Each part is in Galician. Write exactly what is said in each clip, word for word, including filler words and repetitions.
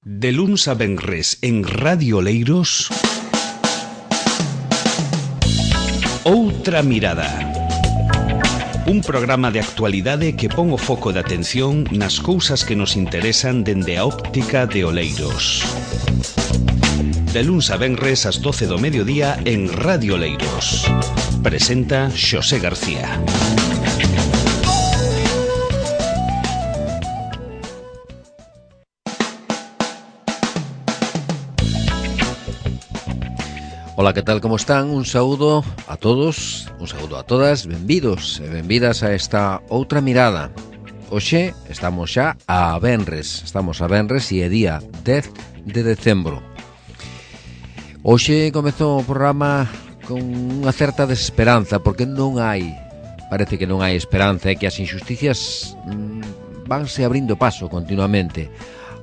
De luns a venres en Radio Oleiros, Outra Mirada. Un programa de actualidade que pon o foco de atención nas cousas que nos interesan dende a óptica de Oleiros. De luns a venres ás doce do mediodía en Radio Oleiros. Presenta Xosé García. Ola, que tal, como están? Un saúdo a todos, un saúdo a todas, benvidos e benvidas a esta Outra Mirada. Hoxe estamos xa a venres, estamos a venres e é día dez de decembro. Hoxe comezou o programa con unha certa desesperanza, porque non hai, parece que non hai esperanza, e que as injusticias mmm, vanse abrindo paso continuamente.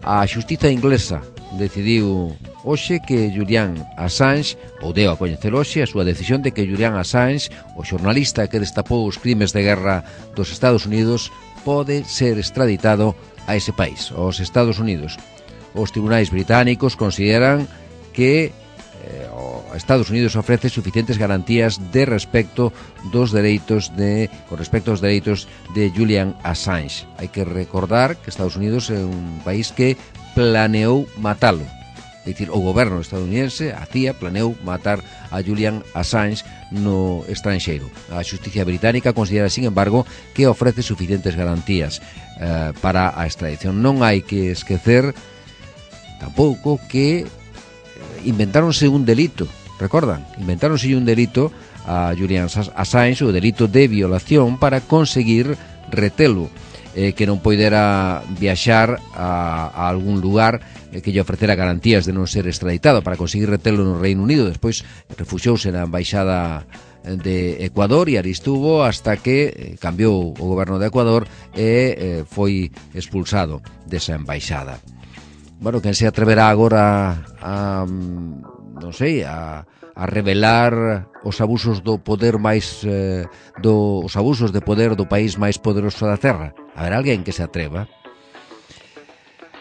A xustiza inglesa decidiu hoxe que Julian Assange, ou deu a coñecer hoxe a súa decisión de que Julian Assange, o xornalista que destapou os crimes de guerra dos Estados Unidos, pode ser extraditado a ese país, aos Estados Unidos. Os tribunais británicos consideran que eh, o Estados Unidos ofrece suficientes garantías de respecto dos dereitos de con respecto aos dereitos de Julian Assange. Hai que recordar que Estados Unidos é un país que planeou matalo. É dicir, o goberno estadounidense, a C I A, planeou matar a Julian Assange no estranxeiro. A xusticia británica considera, sin embargo, que ofrece suficientes garantías eh, para a extradición. Non hai que esquecer tampouco que inventáronse un delito, recordan? Inventáronse un delito a Julian Assange, o delito de violación, para conseguir retelo, eh, que non poidera viaxar a, a algún lugar eh, que lle ofrecera garantías de non ser extraditado, para conseguir retelo no Reino Unido. Despois refuxouse na embaixada de Ecuador e ali estuvo hasta que cambiou o goberno de Ecuador e eh, foi expulsado desa embaixada. Bueno, quen se atreverá agora a, non sei, a, a revelar os abusos do poder máis eh, do, os abusos de poder do país máis poderoso da Terra? Haberá alguén que se atreva?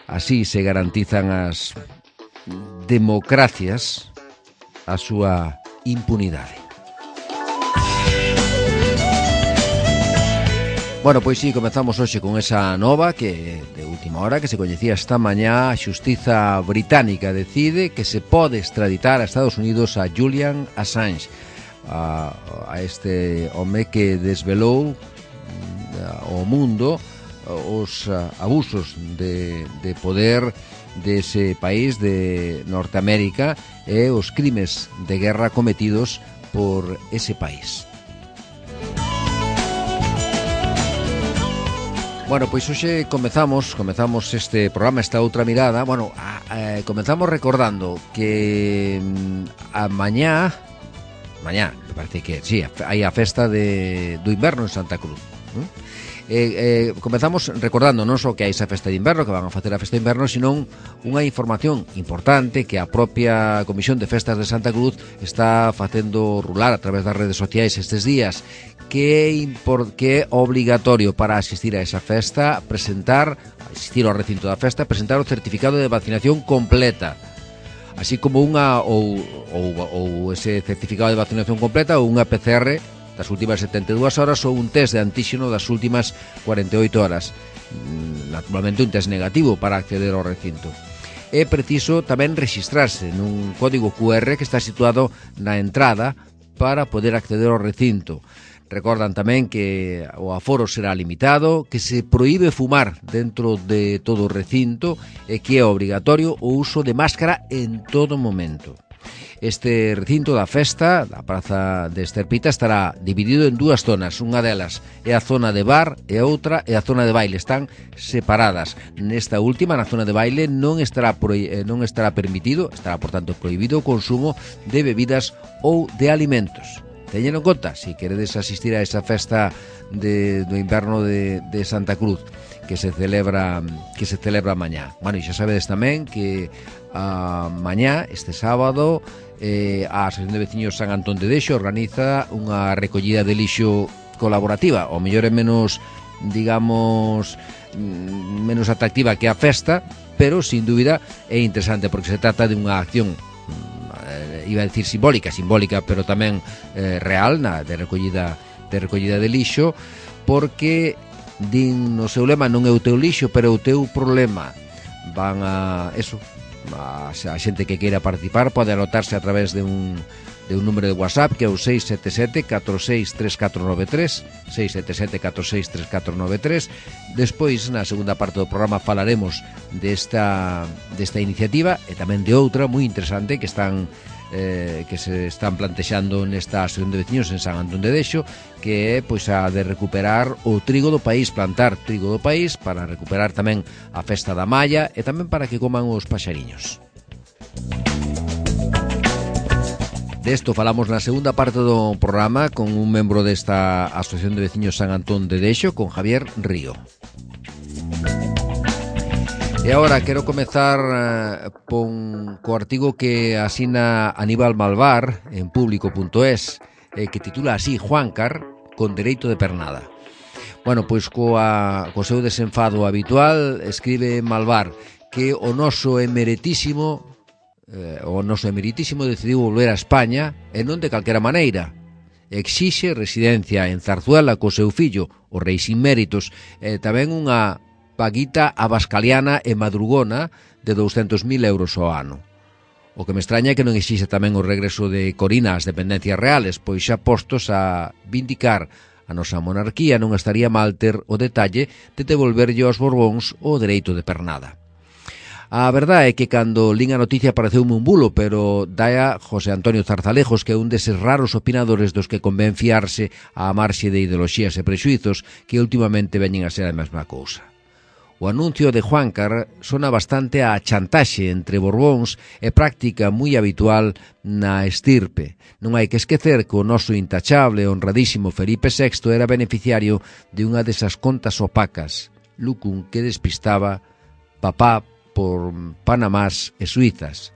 Así se garantizan as democracias a súa impunidade. Bueno, pois sí, comezamos hoxe con esa nova que de última hora que se coñecía esta mañá. A xustiza británica decide que se pode extraditar a Estados Unidos a Julian Assange, a, a este home que desvelou ao mundo os abusos de, de poder dese país de Norteamérica e os crimes de guerra cometidos por ese país. Bueno, pois hoxe comezamos, comezamos este programa, esta outra mirada. Bueno, a, a, comezamos recordando que a mañá, mañá, me parece que sí, hai a festa de, do inverno en Santa Cruz. ¿eh? Eh, eh, comezamos recordando non só que hai esa festa de inverno, que van a facer a festa de inverno, sino unha información importante que a propia Comisión de Festas de Santa Cruz está facendo rular a través das redes sociais estes días, que é, impor, que é obligatorio para asistir a esa festa presentar, asistir ao recinto da festa, presentar o certificado de vacinación completa, así como unha ou, ou, ou ese certificado de vacinación completa ou unha P C R das últimas setenta e dúas horas ou un test de antíxeno das últimas cuarenta e oito horas. Naturalmente un test negativo para acceder ao recinto. É preciso tamén rexistrarse nun código Q R que está situado na entrada para poder acceder ao recinto. Recordan tamén que o aforo será limitado, que se proíbe fumar dentro de todo o recinto e que é obrigatorio o uso de máscara en todo momento. Este recinto da festa, da Praza de Esterpita, estará dividido en dúas zonas. Unha delas é a zona de bar e a outra é a zona de baile. Están separadas. Nesta última, na zona de baile, non estará, pro, non estará permitido, estará, por tanto, prohibido o consumo de bebidas ou de alimentos. Teñen en conta, se queredes asistir a esa festa de, do inverno de, de Santa Cruz, que se celebra que se celebra mañá. Bueno, e xa sabedes tamén que a mañá, este sábado, eh, a Asociación de Veciños San Antón de Deixo organiza unha recollida de lixo colaborativa, ou mellor é menos, digamos, menos atractiva que a festa, pero sin dúbida é interesante porque se trata de unha acción, eh, iba a decir simbólica, simbólica, pero tamén eh, real, na, de recollida de recollida de lixo, porque din no seu lema non é o teu lixo, pero o teu problema. Van a eso, a, a xente que queira participar pode anotarse a través de un de un número de WhatsApp que é o seis sete sete, catro seis tres catro nove tres, seis sete sete, catro seis tres catro nove tres. Despois, na segunda parte do programa, falaremos desta, desta iniciativa e tamén de outra moi interesante que están eh, que se están plantexando nesta asociación de veciños en San Antón de Dexo, que é pois a de recuperar o trigo do país, plantar trigo do país para recuperar tamén a festa da malla e tamén para que coman os paxariños. Desto falamos na segunda parte do programa con un membro desta Asociación de Veciños San Antón de Dexo, con Javier Río. E agora quero comezar eh, pon, co artigo que asina Aníbal Malvar en público punto es, eh, que titula así: Juancar con dereito de pernada. Bueno, pois coa, co seu desenfado habitual escribe Malvar que o noso emeritísimo Eh, o noso emeritísimo decidiu volver a España e non de calquera maneira. Exixe residencia en Zarzuela co seu fillo, o rei sin méritos, e tamén unha paguita abascaliana e madrugona de douscentos mil euros ao ano. O que me extraña é que non exixe tamén o regreso de Corina ás dependencias reales, pois xa postos a vindicar a nosa monarquía non estaría mal ter o detalle de devolverlle aos Borbóns o dereito de pernada. A verdade é que cando lín a noticia pareceume un bulo, pero daia José Antonio Zarzalejos, que é un deses raros opinadores dos que convén fiarse á marxe de ideoloxías e prexuizos que últimamente veñen a ser a mesma cousa. O anuncio de Juancar sona bastante a chantaxe entre Borbóns e práctica moi habitual na estirpe. Non hai que esquecer que o noso intachable e honradísimo Felipe sexto era beneficiario de unha desas contas opacas, lucum que despistaba papá por Panamás e Suizas.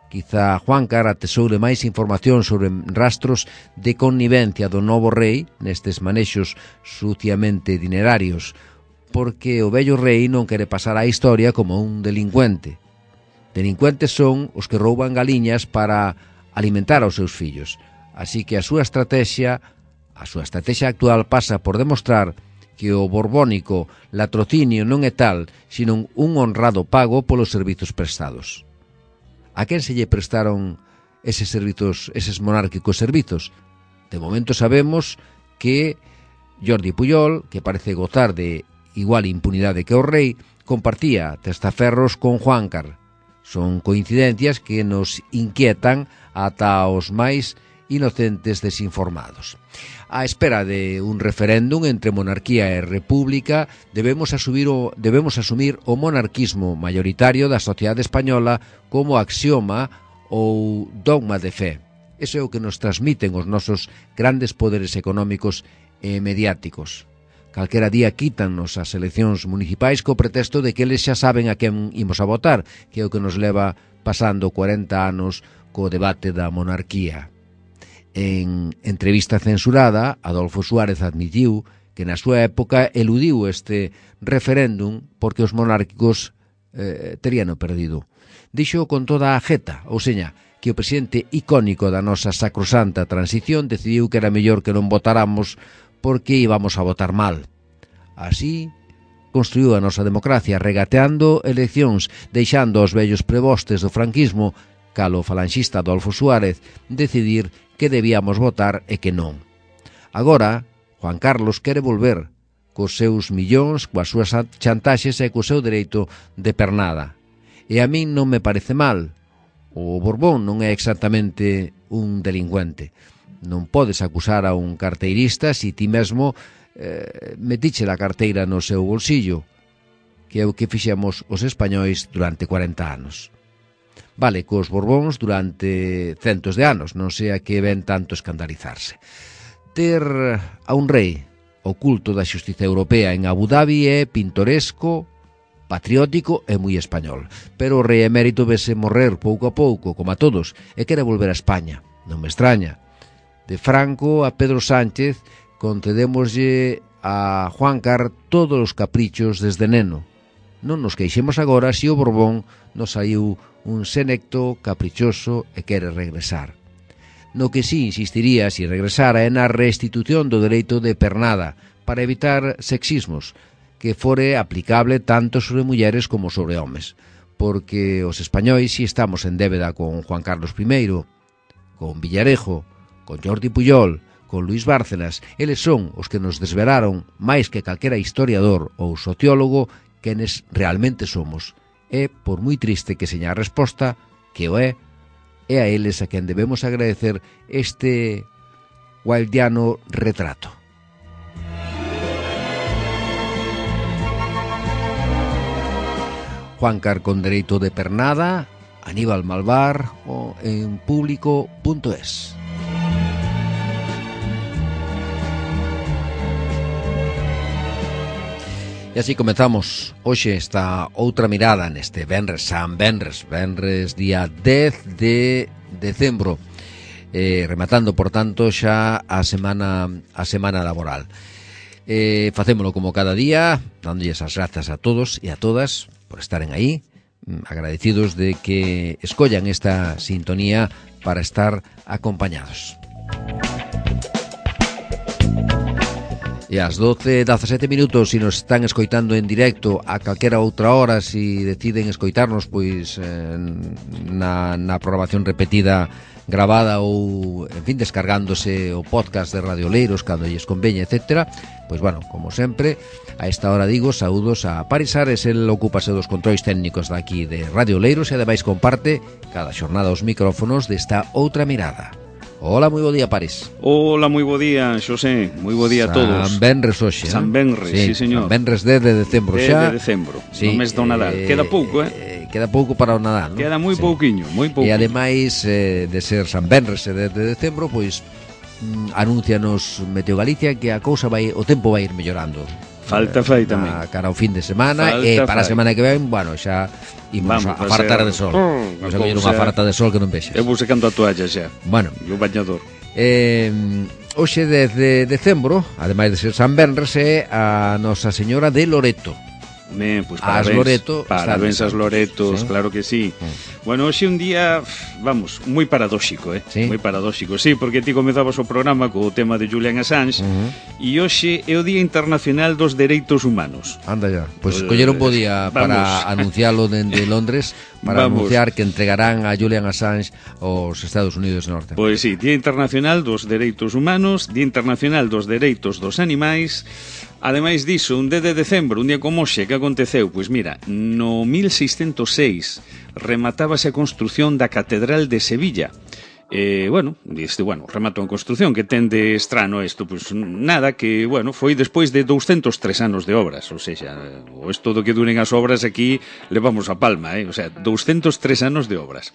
Quizá Juancar atesoure máis información sobre rastros de connivencia do novo rei nestes manexos suciamente dinerarios, porque o vello rei non quere pasar á historia como un delincuente. Delincuentes son os que rouban galiñas para alimentar aos seus fillos. Así que a súa estrategia, a súa estrategia actual pasa por demostrar que o borbónico latrocinio non é tal, sino un honrado pago polos servizos prestados. A quen se lle prestaron eses servizos, eses monárquicos servizos? De momento sabemos que Jordi Pujol, que parece gozar de igual impunidade que o rei, compartía testaferros con Juancar. Son coincidencias que nos inquietan ata os máis inocentes desinformados. A espera de un referéndum entre monarquía e república, debemos asumir o, debemos asumir o monarquismo maioritario da sociedade española como axioma ou dogma de fe. Eso é o que nos transmiten os nosos grandes poderes económicos e mediáticos. Calquera día quítannos as eleccións municipais co pretexto de que eles xa saben a quen imos a votar, que é o que nos leva pasando cuarenta anos co debate da monarquía. En entrevista censurada, Adolfo Suárez admitiu que na súa época eludiu este referéndum porque os monárquicos eh, terían o perdido. Dixo con toda a jeta, ou seña, que o presidente icónico da nosa sacrosanta transición decidiu que era mellor que non votáramos porque íbamos a votar mal. Así construiu a nosa democracia regateando eleccións, deixando aos vellos prebostes do franquismo, calo falanxista Adolfo Suárez, decidir que debíamos votar e que non. Agora, Juan Carlos quere volver cos seus millóns, coas súas chantaxes e co seu dereito de pernada. E a min non me parece mal. O Borbón non é exactamente un delincuente. Non podes acusar a un carteirista se ti mesmo eh, metiche a carteira no seu bolsillo, que é o que fixemos os españois durante cuarenta anos. Vale, cos Borbóns durante centos de anos, non sea que ven tanto escandalizarse. Ter a un rei oculto da xustiza europea en Abu Dhabi é pintoresco, patriótico e moi español. Pero o rei emérito vese morrer pouco a pouco, como a todos, e quere volver a España. Non me extraña. De Franco a Pedro Sánchez concedémoslle a Juancar todos os caprichos desde neno. non nos queixemos agora se o Borbón nos saiu un senecto caprichoso e quere regresar. No que sí insistiría se regresara é na restitución do dereito de pernada para evitar sexismos que fore aplicable tanto sobre mulleres como sobre homes, porque os españois si estamos en débeda con Juan Carlos primeiro, con Villarejo, con Jordi Puyol, con Luis Bárcenas. Eles son os que nos desvelaron máis que calquera historiador ou sociólogo quenes realmente somos. E, por moi triste que seña a resposta, que o é, é a eles a quen debemos agradecer este wildiano retrato. Juancar con dereito de pernada, Aníbal Malvar o en público punto es. E así comezamos hoxe esta outra mirada neste Venres, San Venres, Venres día dez de decembro, eh, rematando, por tanto, xa a semana a semana laboral. Eh, facémolo como cada día, dándolles as grazas a todos e a todas por estaren aí, agradecidos de que escollan esta sintonía para estar acompañados. E ás doce e dezasete minutos, se nos están escoitando en directo a calquera outra hora, se deciden escoitarnos pois eh, na, na programación repetida grabada ou, en fin, descargándose o podcast de Radio Oleiros cando lles conveña, etcétera, pois, bueno, como sempre, a esta hora digo, saúdos a Paris Ares, el ocúpase dos controis técnicos daqui de Radio Oleiros e ademais comparte cada xornada os micrófonos desta outra mirada. Hola, moi bo día, Paris. Hola, moi bo día, Xosé. Moi bo día a todos. San Benres hoxe, San Benres, sí, sí señor. San Benres dez de decembro xa. dez de decembro, sí, no mes do Nadal. Eh, queda pouco, eh? eh? Queda pouco para o Nadal, ¿no? Queda moi sí. pouquiño, moi pouco. E ademais eh, de ser San Benres e dez de decembro, pois mm, anuncianos Meteo Galicia que a cousa vai, o tempo vai ir mellorando. Falta fai tamén. A cara ao fin de semana. Falta e para fai. a semana que ven, bueno, xa imos a, a fartar de sol. Vamos a coller unha farta de sol que non vexas. Eu vou secando a toalla xa. Bueno. E o bañador. Eh, hoxe dez de decembro, ademais de ser San Benres, é a Nosa Señora de Loreto. Ben, pois parabéns, as Loreto, parabéns as Loretos, sí. Claro que sí. Mm. Bueno, hoxe un día, vamos, moi paradóxico, eh? Sí. Moi paradóxico, sí, porque ti comezabas o programa co tema de Julian Assange, uh-huh. e hoxe é o Día Internacional dos Dereitos Humanos. Anda ya, pois pues, eh, coller un bo día para anuncialo dende Londres, para vamos. anunciar que entregarán a Julian Assange aos Estados Unidos Norte. Pois sí, Día Internacional dos Dereitos Humanos, Día Internacional dos Dereitos dos Animais. Ademais diso, un dez de decembro, un día como hoxe, que aconteceu? Pois mira, no mil seiscentos seis rematábase a construción da Catedral de Sevilla. Eh, bueno, este, bueno, rematou a construción, que ten de estrano isto, pois nada, que, bueno, foi despois de douscentos tres anos de obras, ou seja, o esto do que duren as obras aquí levamos a palma, eh? O sea, douscentos tres anos de obras.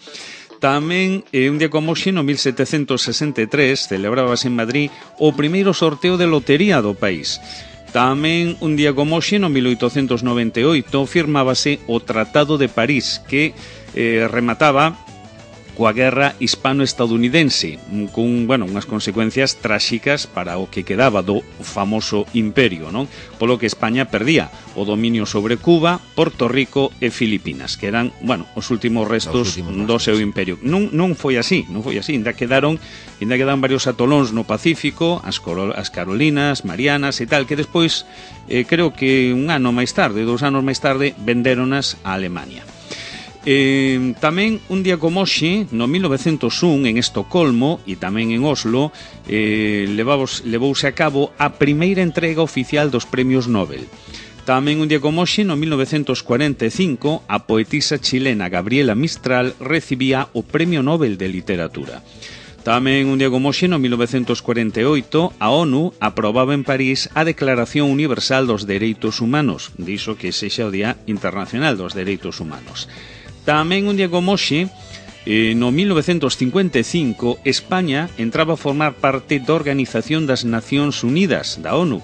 Tamén, eh, un día como hoxe, no mil setecentos sesenta e tres, celebrábase en Madrid o primeiro sorteo de lotería do país. Tamén, un día como hoxe, no mil oitocentos noventa e oito, firmábase o Tratado de París, que eh, remataba coa guerra hispano-estadounidense, con, bueno, unhas consecuencias tráxicas para o que quedaba do famoso imperio, non? Polo que España perdía o dominio sobre Cuba, Porto Rico e Filipinas, que eran, bueno, os últimos restos últimos do seu imperio. Non, non foi así, non foi así, ainda quedaron, ainda quedaron varios atolóns no Pacífico, as, Coro, as Carolinas, Marianas e tal, que despois, eh, creo que un ano máis tarde, dous anos máis tarde, vendéronas a Alemania. Eh, tamén un día como hoxe, no mil novecentos un, en Estocolmo e tamén en Oslo, eh, levavos, levouse a cabo a primeira entrega oficial dos premios Nobel. Tamén un día como hoxe, no mil novecentos cuarenta e cinco, a poetisa chilena Gabriela Mistral recibía o Premio Nobel de Literatura. Tamén un día como hoxe, no mil novecentos cuarenta e oito, a ONU aprobaba en París a Declaración Universal dos Dereitos Humanos, diso que sexa o Día Internacional dos Dereitos Humanos. Tamén un día como hoxe, eh, no mil novecentos cincuenta e cinco, España entraba a formar parte da Organización das Nacións Unidas, da ONU.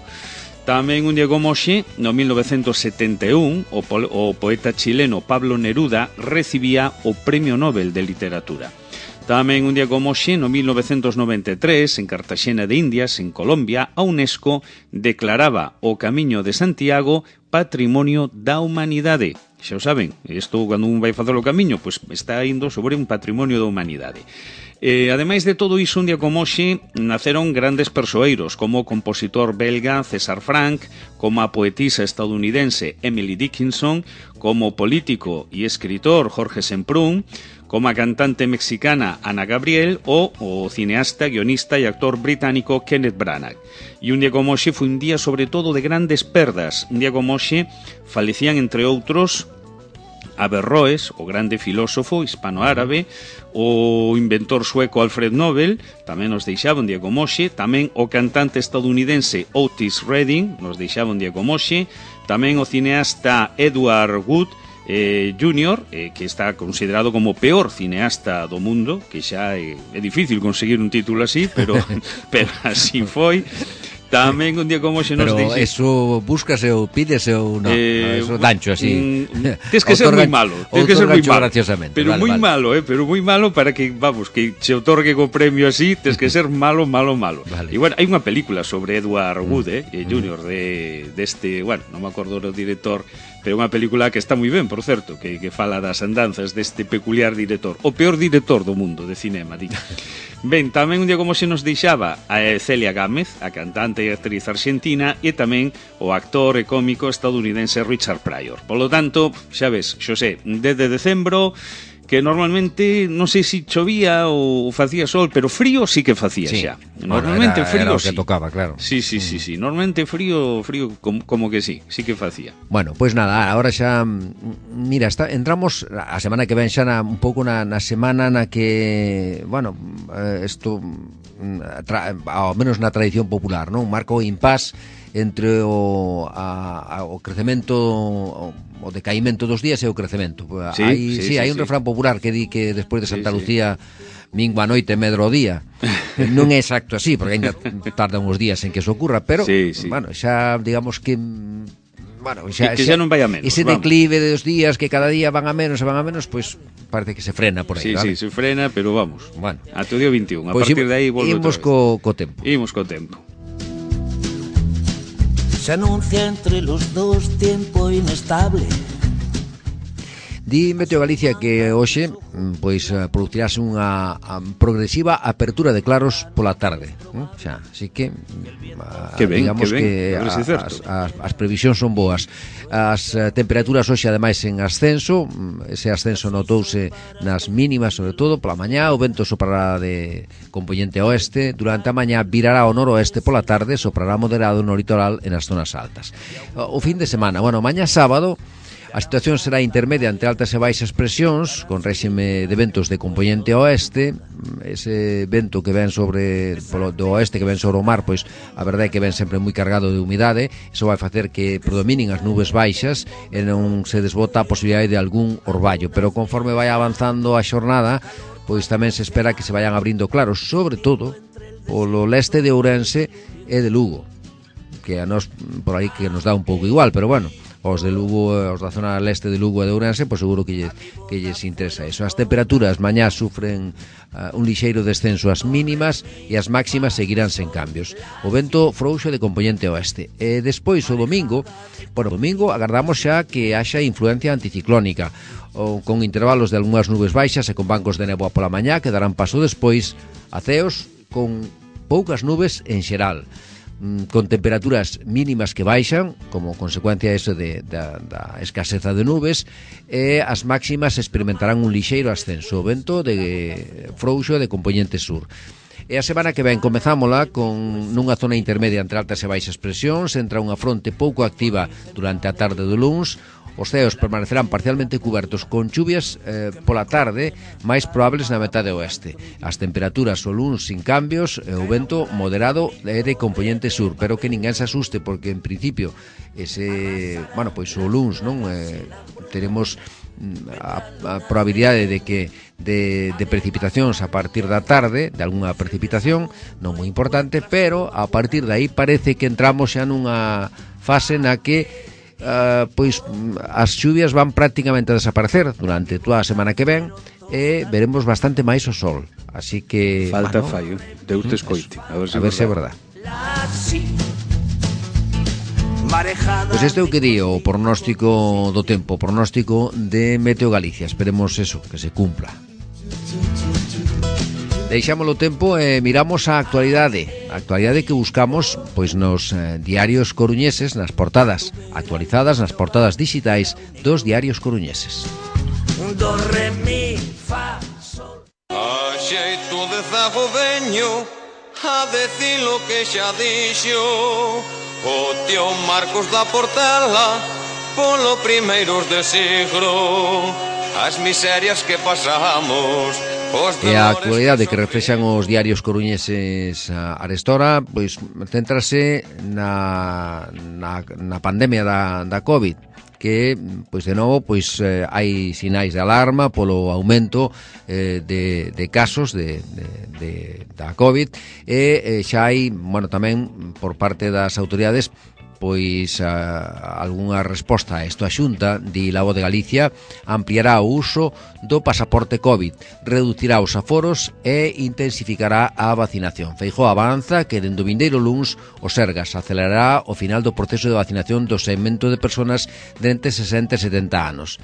Tamén un día como hoxe, no mil novecentos setenta e un, o, po o poeta chileno Pablo Neruda recibía o Premio Nobel de Literatura. Tamén un día como hoxe, no mil novecentos noventa e tres, en Cartaxena de Indias, en Colombia, a UNESCO declaraba o Camiño de Santiago Patrimonio da Humanidade. Xa o saben, isto cando un vai facer o camiño, pois está indo sobre un patrimonio da humanidade. Eh, ademais de todo iso, un día como hoxe, naceron grandes persoeiros, como o compositor belga César Franck, como a poetisa estadounidense Emily Dickinson, como o político e escritor Jorge Semprún, como a cantante mexicana Ana Gabriel ou o cineasta, guionista e actor británico Kenneth Branagh. E un día como hoxe foi un día sobre todo de grandes perdas. Un día como hoxe falecían, entre outros, Averroes, o grande filósofo hispano-árabe, o inventor sueco Alfred Nobel, tamén nos deixaba un día como hoxe, tamén o cantante estadounidense Otis Redding, nos deixaba un día como hoxe, tamén o cineasta Edward Wood eh, júnior, eh, que está considerado como o peor cineasta do mundo, que xa é, é difícil conseguir un título así, pero, pero así foi. Tamén un día como hoxe nos Pero dixe... eso búscase ou pídese ou non? Eh, eso dancho así. Mm, Tens que ser moi malo, tens que ser moi malo. Pero vale, moi vale. malo, eh, pero moi malo para que, vamos, que se otorgue co premio así, tens que ser malo, malo, malo. Vale. E bueno, hai unha película sobre Edward Wood, eh, mm. júnior de deste, bueno, non me acordo do director, pero unha película que está moi ben, por certo, que, que fala das andanzas deste peculiar director, o peor director do mundo de cinema, di. Ben, tamén un día como se nos deixaba a Celia Gámez, a cantante e actriz argentina, e tamén o actor e cómico estadounidense Richard Pryor. Polo tanto, xa ves, Xosé, desde decembro, que normalmente, non sei se chovía ou facía sol, pero frío sí que facía sí. xa. Normalmente bueno, era, frío era o que sí. tocaba, claro. Sí, sí, sí, sí. Normalmente frío, frío como, como que sí, sí que facía. Bueno, pois pues nada, agora xa mira, está, entramos a semana que ven xa na, un pouco na, na semana na que, bueno, isto tra, ao menos na tradición popular, non? Marca o impás entre o, a, a, o crecemento, o, o decaimento dos días e o crecemento. Sí, hai, sí, sí, sí, hai sí. un refrán popular que di que despois de Santa sí, Lucía sí. mingua a noite medro o día. Non é exacto así, porque ainda tarda uns días en que eso ocurra, pero, sí, sí. bueno, xa digamos que... Bueno, xa, que, que xa non vai a menos. Ese vamos. declive dos días que cada día van a menos e van a menos, pois pues, parece que se frena por aí, sí, vale? Sí, se frena, pero vamos. Bueno. Ate o día veintiún, a pues partir de aí volve imos outra vez. co, co tempo. Imos co tempo. Se anuncia entre los dos tiempo inestable. Di Meteo Galicia que hoxe pois producirase unha progresiva apertura de claros pola tarde, ¿no? Xa, así que que ben, digamos que, ben, que as, as, as previsións son boas. As temperaturas hoxe ademais en ascenso, ese ascenso notouse nas mínimas, sobre todo pola mañá, o vento soprará de componente oeste, durante a mañá virará ao noroeste, pola tarde soprará moderado no litoral e nas zonas altas. O fin de semana, bueno, mañá sábado a situación será intermedia entre altas e baixas presións, con réxime de ventos de componente oeste. Ese vento que ven sobre polo, do oeste que ven sobre o mar, pois a verdade é que ven sempre moi cargado de humidade. Iso vai facer que predominen as nubes baixas e non se desbota a posibilidade de algún orballo, pero conforme vai avanzando a xornada, pois tamén se espera que se vayan abrindo claros, sobre todo polo leste de Ourense e de Lugo, que a nos por aí que nos dá un pouco igual, pero bueno, os de Lugo, os da zona leste de Lugo e de Ourense, pois seguro que lles, que lles interesa eso. As temperaturas mañá sufren uh, un lixeiro descenso ás mínimas e as máximas seguirán sen cambios. O vento frouxo de componente oeste. E despois o domingo, bueno, o domingo agardamos xa que haxa influencia anticiclónica, ou con intervalos de algunhas nubes baixas e con bancos de néboa pola mañá que darán paso despois a ceos con poucas nubes en xeral, con temperaturas mínimas que baixan como consecuencia eso de, da, da escaseza de nubes, e as máximas experimentarán un lixeiro ascenso, o vento de frouxo de componente sur. E a semana que ven comezámola con nunha zona intermedia entre altas e baixas presións, entra unha fronte pouco activa durante a tarde do luns. Os ceos permanecerán parcialmente cubertos con chuvias eh, pola tarde, máis probables na metade oeste. As temperaturas o luns sin cambios, e o vento moderado e de componente sur, pero que ninguén se asuste porque en principio ese, bueno, pois o luns, non, eh, teremos a, a probabilidade de que de, de precipitacións a partir da tarde, de algunha precipitación non moi importante, pero a partir de aí parece que entramos xa nunha fase na que Uh, pois as chuvias van prácticamente a desaparecer durante toda a semana que ven, e veremos bastante máis o sol. Así que... Falta bueno, fallo, Deus te escoite. A ver se a ver se é verdad. Pois este é o que di o pronóstico do tempo, o pronóstico de Meteo Galicia. Esperemos eso, que se cumpla. Deixamos o tempo e miramos a actualidade. A actualidade que buscamos pois nos eh, diarios coruñeses, nas portadas actualizadas, nas portadas digitais dos diarios coruñeses. Do, re, mi, fa, sol. A xeito de zago veño a decir lo que xa dixo o tío Marcos da Portela polo primeiros de siglo, as miserias que pasamos. E a actualidade que reflexan os diarios coruñeses arestora, pois céntrase na, na, na pandemia da, da COVID, que, pois de novo, pois eh, hai sinais de alarma polo aumento eh, de, de casos de, de, de, da COVID e eh, xa hai, bueno, tamén por parte das autoridades pois a, algunha resposta a isto. A Xunta, di La Voz de Galicia, ampliará o uso do pasaporte COVID, reducirá os aforos e intensificará a vacinación. Feijóo avanza que dende o vindeiro luns o Sergas acelerará o final do proceso de vacinación do segmento de persoas de entre sesenta e setenta anos.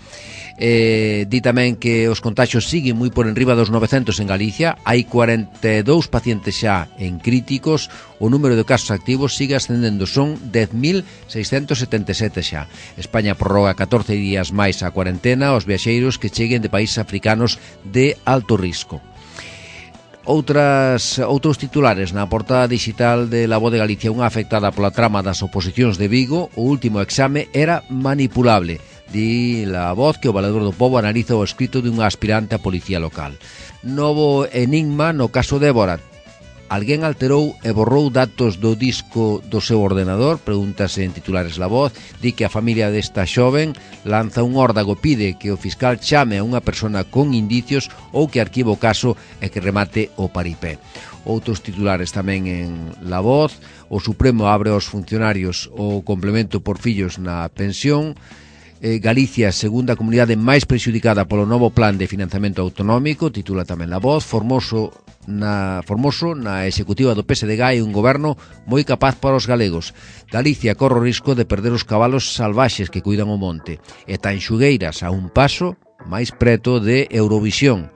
Eh, di tamén que os contaxios siguen moi por enriba dos novecentos en Galicia, hai cuarenta e dous pacientes xa en críticos, o número de casos activos sigue ascendendo, son dez mil seiscentos setenta e sete xa. España prorroga catorce días máis a cuarentena aos viaxeiros que cheguen de países africanos de alto risco. Outras, outros titulares na portada digital de La Voz de Galicia. Unha afectada pola trama das oposicións de Vigo, o último exame era manipulable. Di La Voz que o Valedor do Pobo analiza o escrito dunha aspirante a policía local. Novo enigma no caso Débora. Alguén alterou e borrou datos do disco do seu ordenador? Pregúntase en titulares La Voz. Di que a familia desta xoven lanza un órdago, pide que o fiscal chame a unha persona con indicios ou que arquive o caso e que remate o paripé. Outros titulares tamén en La Voz. O Supremo abre aos funcionarios o complemento por fillos na pensión. Eh, Galicia, segunda comunidade máis prexudicada polo novo plan de financiamento autonómico, titula tamén La Voz. Formoso na, Formoso na executiva do P S D G hai un goberno moi capaz para os galegos. Galicia corre o risco de perder os cabalos salvaxes que cuidan o monte. E Tanxugueiras a un paso máis preto de Eurovisión.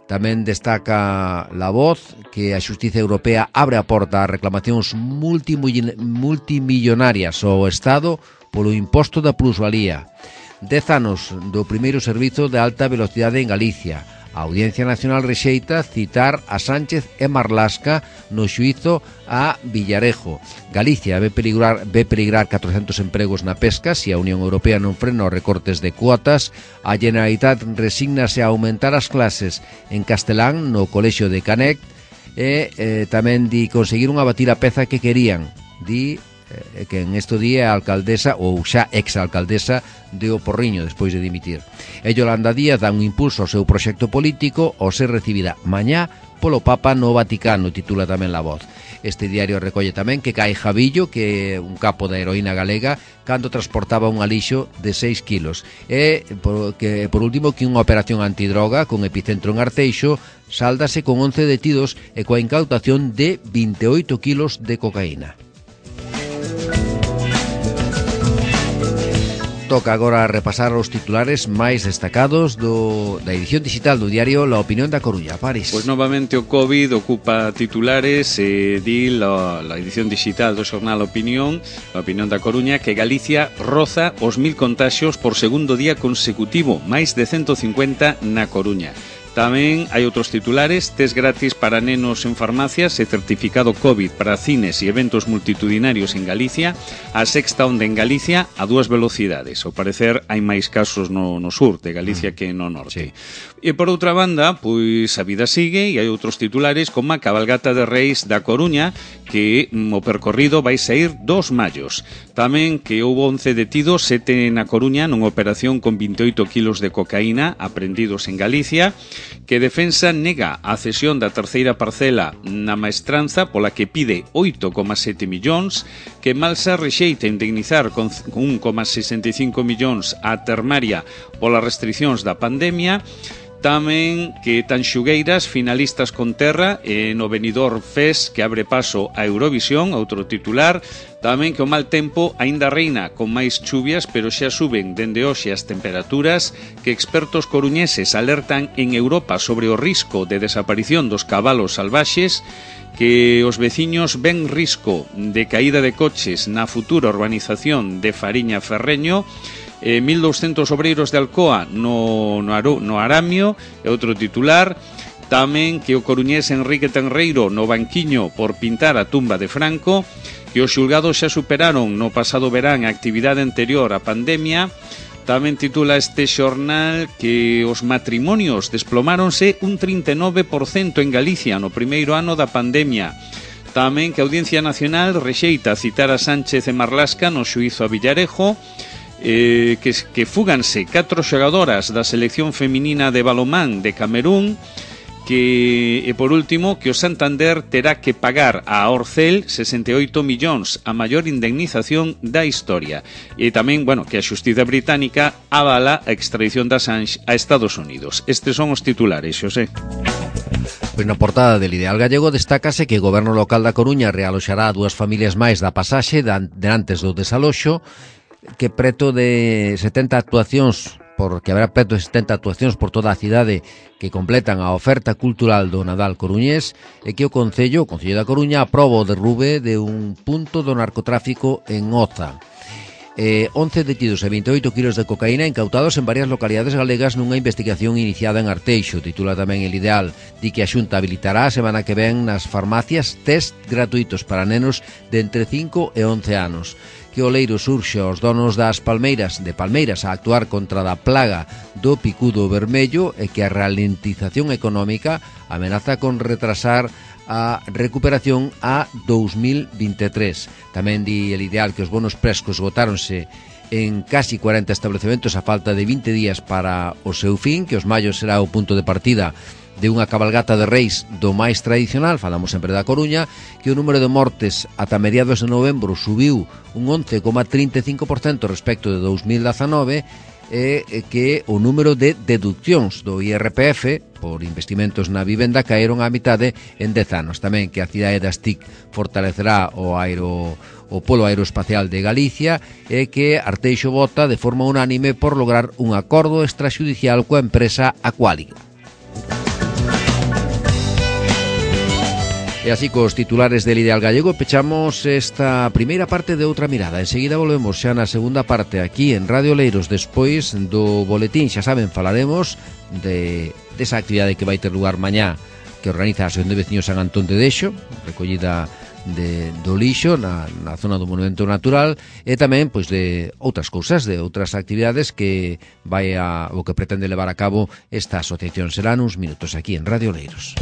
Tamén destaca La Voz que a Xustiza Europea abre a porta a reclamacións multimillonarias ao Estado polo imposto da plusvalía. Dez anos do primeiro servizo de alta velocidade en Galicia. A Audiencia Nacional rexeita citar a Sánchez e Marlasca no xuízo a Villarejo. Galicia ve peligrar, ve peligrar catrocentos empregos na pesca se a Unión Europea non frena os recortes de cuotas. A Generalitat resígnase a aumentar as clases en castelán no colexio de Canec e eh, tamén di conseguir unha batir a peza que querían. Di que en esto día a alcaldesa ou xa ex-alcaldesa de O Porriño despois de dimitir. E Yolanda Díaz dá un impulso ao seu proxecto político ao ser recibida mañá polo Papa no Vaticano, titula tamén La Voz. Este diario recolle tamén que cae Javillo, que é un capo da heroína galega, cando transportaba un alixo de seis kilos. E, por, que, por último, que unha operación antidroga con epicentro en Arteixo sáldase con once detidos e coa incautación de vinte e oito kilos de cocaína. Toca agora repasar os titulares máis destacados do, da edición digital do diario La Opinión da Coruña. París. Pois novamente o COVID ocupa titulares e di la, la edición digital do xornal Opinión, La Opinión da Coruña, que Galicia roza os mil contaxios por segundo día consecutivo, máis de ciento cincuenta na Coruña. Tamén hai outros titulares: test gratis para nenos en farmacias e certificado COVID para cines e eventos multitudinarios en Galicia. A sexta onda en Galicia a dúas velocidades. Ao parecer hai máis casos no, no sur de Galicia que no norte. Sí. E por outra banda, pois a vida sigue e hai outros titulares como a cabalgata de Reis da Coruña, que mm, o percorrido vai sair dos mallos. Tamén que houve once detidos, sete na Coruña nunha operación con vinte e oito kilos de cocaína aprendidos en Galicia. Que Defensa nega a cesión da terceira parcela na maestranza pola que pide oito coma sete millóns, que Malsa rexeita indemnizar con un coma sesenta e cinco millóns a Termaria polas restriccións da pandemia. Tamén que Tanxugueiras, finalistas con terra, e no Benidorm Fest, que abre paso a Eurovisión, outro titular. Tamén que o mal tempo aínda reina con máis chuvias, pero xa suben dende hoxe as temperaturas, que expertos coruñeses alertan en Europa sobre o risco de desaparición dos cabalos salvaxes, que os veciños ven risco de caída de coches na futura urbanización de Fariña Ferreño, Eh, mil douscentos obreiros de Alcoa no, no, no Aramio, e outro titular. Tamén que o coruñés Enrique Tenreiro no banquiño por pintar a tumba de Franco, que os xulgados xa superaron no pasado verán a actividade anterior á pandemia. Tamén titula este xornal que os matrimonios desplomáronse un trinta e nove por cento en Galicia no primeiro ano da pandemia. Tamén que a Audiencia Nacional rexeita citar a Sánchez e Marlasca no xuízo a Villarejo. Eh, que, que fúganse catro xogadoras da selección feminina de balonmán de Camerún, que, e por último, que o Santander terá que pagar a Orcel sesenta e oito millóns, a maior indemnización da historia. E tamén, bueno, que a xustiza británica avala a extradición da Assange a Estados Unidos. Estes son os titulares, Xosé. Pois na portada del Ideal Gallego destácase que o goberno local da Coruña realoxará a dúas familias máis da pasaxe de antes do desaloxo, que preto de setenta actuacións, porque haberá preto de setenta actuacións por toda a cidade que completan a oferta cultural do Nadal coruñés, e que o Concello, o Concello da Coruña, aproba o derrube de un punto do narcotráfico en Oza. Eh, once detidos e veintioito kilos de cocaína incautados en varias localidades galegas nunha investigación iniciada en Arteixo. Titula tamén El Ideal, di que a Xunta habilitará a semana que ven nas farmacias test gratuitos para nenos de entre cinco e once anos. Que o leiro surxe aos donos das palmeiras de Palmeiras a actuar contra da plaga do picudo vermello, e que a ralentización económica amenaza con retrasar a recuperación a dous mil vinte e tres. Tamén di El Ideal que os bonos prescos esgotáronse en casi cuarenta establecementos a falta de vinte días para o seu fin, que os mayos será o punto de partida de unha cabalgata de reis do máis tradicional. Falamos sempre da Coruña, que o número de mortes ata mediados de novembro subiu un once coma trinta e cinco por cento respecto de dous mil dezanove, e que o número de deduccións do I R P F por investimentos na vivenda caeron á mitade en dez anos. Tamén que a cidade das T I C fortalecerá o aero o Polo Aeroespacial de Galicia, e que Arteixo vota de forma unánime por lograr un acordo extrajudicial coa empresa Aquálica. E así cos titulares del Ideal Gallego pechamos esta primeira parte de Outra Mirada. Enseguida volvemos xa na segunda parte aquí en Radio Oleiros, despois do boletín. Xa saben, falaremos de desa actividade que vai ter lugar mañá, que organiza a Asociación de Veciños San Antón de Deixo, recollida de, do lixo na, na zona do Monumento Natural, e tamén pois de outras cousas, de outras actividades que vai a, o que pretende levar a cabo esta asociación. Serán uns minutos aquí en Radio Oleiros.